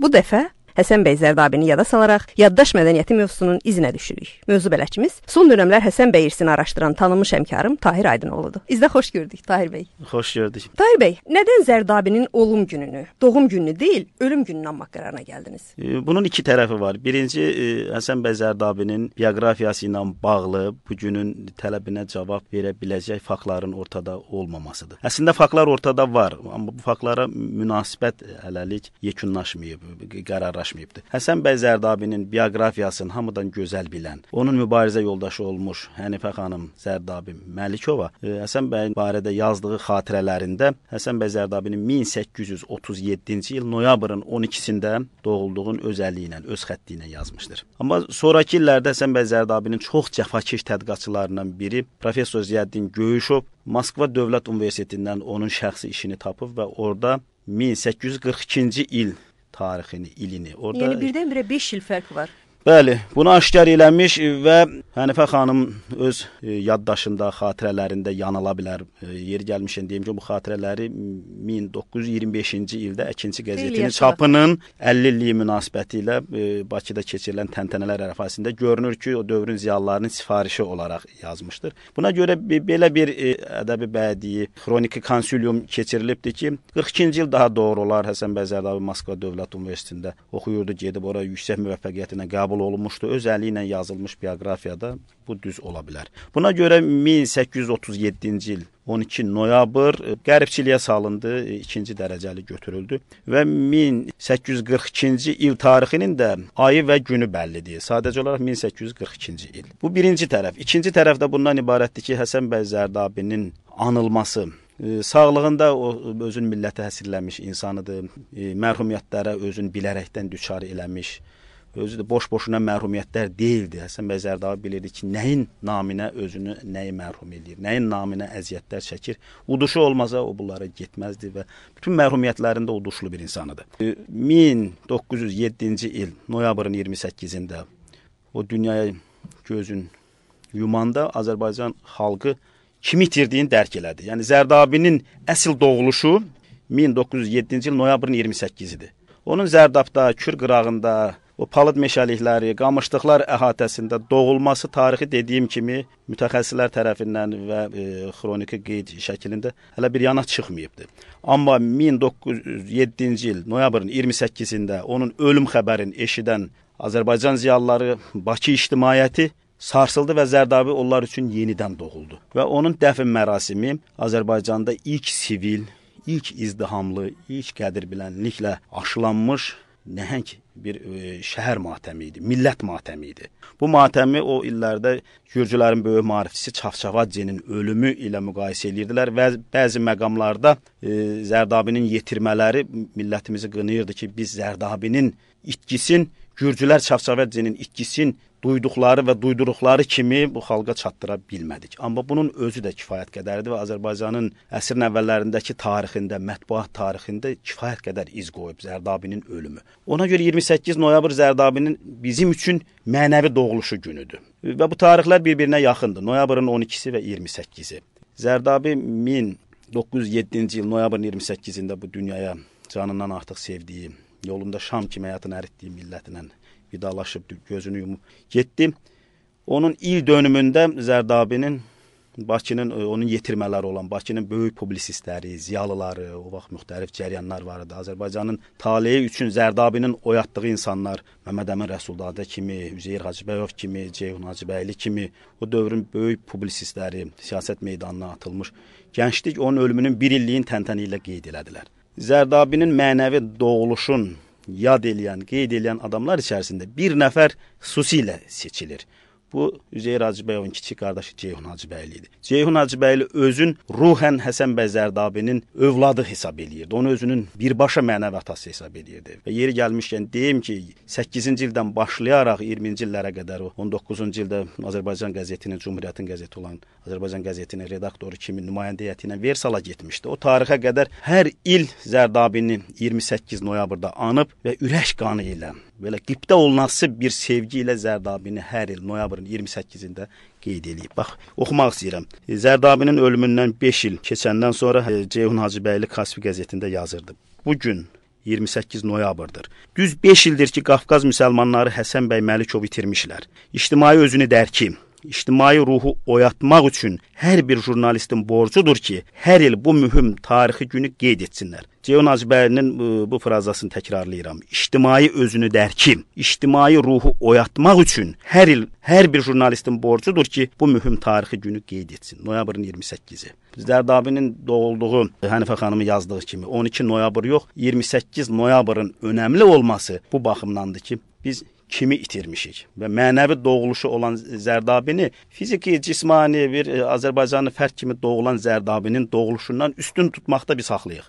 Bu dəfə Həsən bəy Zərdabini yada salaraq yaddaş mədəniyyəti mövzusunun izinə düşürük. Mövzu bələdçimiz son dövrlər Həsən bəy irsini araşdıran tanınmış həmkarım Tahir Aydınoğludur. İzdə xoş gördük Tahir bəy. Xoş gördük. Tahir bəy, nədən Zərdabinin olum gününü, doğum gününü deyil, ölüm gününü anmaq qərarına gəldiniz? Bunun iki tərəfi var. Birinci, Həsən bəy Zərdabinin bioqrafiyası ilə bağlı bu günün tələbinə cavab verə biləcək faktların ortada olmamasıdır. Əslində faktlar ortada var, amma bu faktlara münasibət hələlik yekunlaşmayıb, qərarlaşmayıbdır. Həsən bəy Zərdabinin bioqrafiyasını hamıdan gözəl bilən, onun mübarizə yoldaşı olmuş Hənifə xanım Zərdabi Məlikova Həsən bəy barədə yazdığı xatirələrində Həsən bəy Zərdabinin 1837-ci il noyabrın 12-sində doğulduğun özəlliyi ilə, öz xətti ilə yazmışdır. Amma sonrakı illərdə Həsən bəy Zərdabinin çox cəfakeş tədqiqatçılarından biri Professor Ziyəddin Göyüşov Moskva Dövlət Universitetindən onun şəxsi işini tapıb və orada 1842-ci il tarixini, ilini orada... Yəni birdən-birə 5 il fərq var. Bəli, bunu aşkar eləmiş və Hənifə xanım öz yaddaşında, xatirələrində yanıla bilər. Yeri gəlmişən deyim ki, bu xatirələri 1925-ci ildə Əkinçi qəzetinin çapının 50 illiyi münasibəti ilə Bakıda keçirilən təntənələr ərəfəsində görünür ki, o dövrün ziyalılarının sifarişi olaraq yazmışdır. Buna görə belə bir ədəbi bədii xroniki konsilyum keçirilibdir ki, 42-ci il daha doğru olar Həsən bəy Zərdabi Moskva Dövlət Universitetində oxuyurdu, gedib oraya yüksək müvəffəqiyyətinə qəbul olunmuşdu. Öz əli ilə yazılmış bioqrafiyada bu düz ola bilər. Buna görə 1837-ci il 12 noyabr qəribçiliyə salındı, ikinci dərəcəli götürüldü və 1842-ci il tarixinin də ayı və günü bəllidir. Sadəcə olaraq 1842-ci il. Bu birinci tərəf. İkinci tərəf də bundan ibarətdir ki, Həsən bəy Zərdabinin anılması, sağlığında o özün millətə həsrləmiş insanıdır, mərhumiyyətlərə özün bilərəkdən düçar eləmiş, özü də boş-boşuna mərhumiyyətlər deyildi. Həsən bəy Zərdabi bilirdi ki, nəyin naminə özünü nəyi mərhum edir, nəyin naminə əziyyətlər çəkir. Uduşu olmasa o bunlara getməzdi və bütün mərhumiyyətlərində uduşlu bir insanıdır. 1907-ci il noyabrın 28-də o dünyaya gözün yumanda Azərbaycan xalqı kimi itirdiyini dərk elədi. Yəni Zərdabinin əsl doğuluşu 1907-ci il noyabrın 28-idir. Onun Zərdabda, Kür qırağında, o palıd meşəlikləri, qamışlıqlar əhatəsində doğulması tarixi dediyim kimi mütəxəssislər tərəfindən və xroniki qeyd şəklində hələ bir yana çıxmayıbdır. Amma 1907-ci il noyabrın 28-də onun ölüm xəbərini eşidən Azərbaycan ziyalıları, Bakı ictimaiyyəti sarsıldı və Zərdabi onlar üçün yenidən doğuldu. Və onun dəfn mərasimi Azərbaycanda ilk sivil, ilk izdihamlı, ilk qədirbilənliklə aşılanmış nəhəng bir şəhər matəmi idi, millət matəmi idi. Bu matəmi o illərdə Gürcülərin böyük maarifçisi Çavçavadzenin ölümü ilə müqayisə edirdilər və bəzi məqamlarda Zərdabinin yetirmələri millətimizi qınayırdı ki, biz Zərdabinin itkisin, Gürcülər Çavçavadzenin itkisin duyduqları və duyduruqları kimi bu xalqa çatdıra bilmədik. Amma bunun özü də kifayət qədərdir və Azərbaycanın əsrin əvvəllərindəki tarixində, mətbuat tarixində kifayət qədər iz qoyub Zərdabinin ölümü. Ona görə 28 noyabr Zərdabinin bizim üçün mənəvi doğuluşu günüdür. Və bu tarixlər bir-birinə yaxındır. Noyabrın 12-si və 28-i. Zərdabi 1907-ci il noyabrın 28-də bu dünyaya canından artıq sevdiyi, yolunda şam kimi həyatını əritdiyi millətinə vidalaşıb, gözünü yumub getdi. Onun il dönümündə Zərdabinin Bakının, onun yetirmələri olan Bakının böyük publisistləri, ziyalıları, o vaxt müxtəlif cəryanlar var idi. Azərbaycanın taleyi üçün Zərdabinin oyatdığı insanlar, Məmməd Əmin Rəsulzadə kimi, Üzeyir Hacıbəyov kimi, Ceyhun Hacıbəyli kimi, o dövrün böyük publisistləri siyasət meydanına atılmış gənclik onun ölümünün bir illiyin təntəni ilə qeyd elədilər. Zərdabinin mənəvi doğuluşun yad eləyən, qeyd eləyən adamlar içərisində bir nəfər xüsusilə seçilir. Bu, Üzeyir Hacıbəyovun kiçik qardaşı Ceyhun Hacıbəyli idi. Ceyhun Hacıbəyli özün ruhən Həsən bəy Zərdabinin övladı hesab eləyirdi. Onu özünün birbaşa mənəvi atası hesab eləyirdi. Və yeri gəlmişkən deyim ki, 8-ci ildən başlayaraq 20-ci illərə qədər, 19-cu ildə Azərbaycan qəzetinin, Cumhuriyyətin qəzeti olan Azərbaycan qəzetinin redaktoru kimi nümayəndə heyəti ilə Versala getmişdi. O tarixə qədər hər il Zərdabini 28 noyabrda anıb və ürək qanı ilə, belə qibdə olunası bir sevgi ilə Zərdabini hər il noyabrın 28-də qeyd eləyib. Bax, oxumaq istəyirəm. Zərdabinin ölümündən 5 il keçəndən sonra Ceyhun Hacıbəyli Kaspi qəzetində yazırdı. Bu gün 28 noyabrdır. Düz 5 ildir ki, Qafqaz müsəlmanları Həsən bəy Məlikov itirmişlər. İctimai özünü dərki, ictimai ruhu oyatmaq üçün hər bir jurnalistin borcudur ki, hər il bu mühüm tarixi günü qeyd etsinlər. Ceyhun Hacıbəylinin bu frazasını təkrarlayıram. İctimai özünü dərki, ictimai ruhu oyatmaq üçün hər il hər bir jurnalistin borcudur ki, bu mühüm tarixi günü qeyd etsin. Noyabrın 28-i. Zərdabinin doğulduğu Hənifə xanımı yazdığı kimi 12 noyabr yox, 28 noyabrın önəmli olması bu baxımdandır ki, biz kimi itirmişik və mənəvi doğuluşu olan Zərdabini fiziki, cismani bir Azərbaycanlı fərd kimi doğulan Zərdabinin doğuluşundan üstün tutmaqda biz haqlıyıq.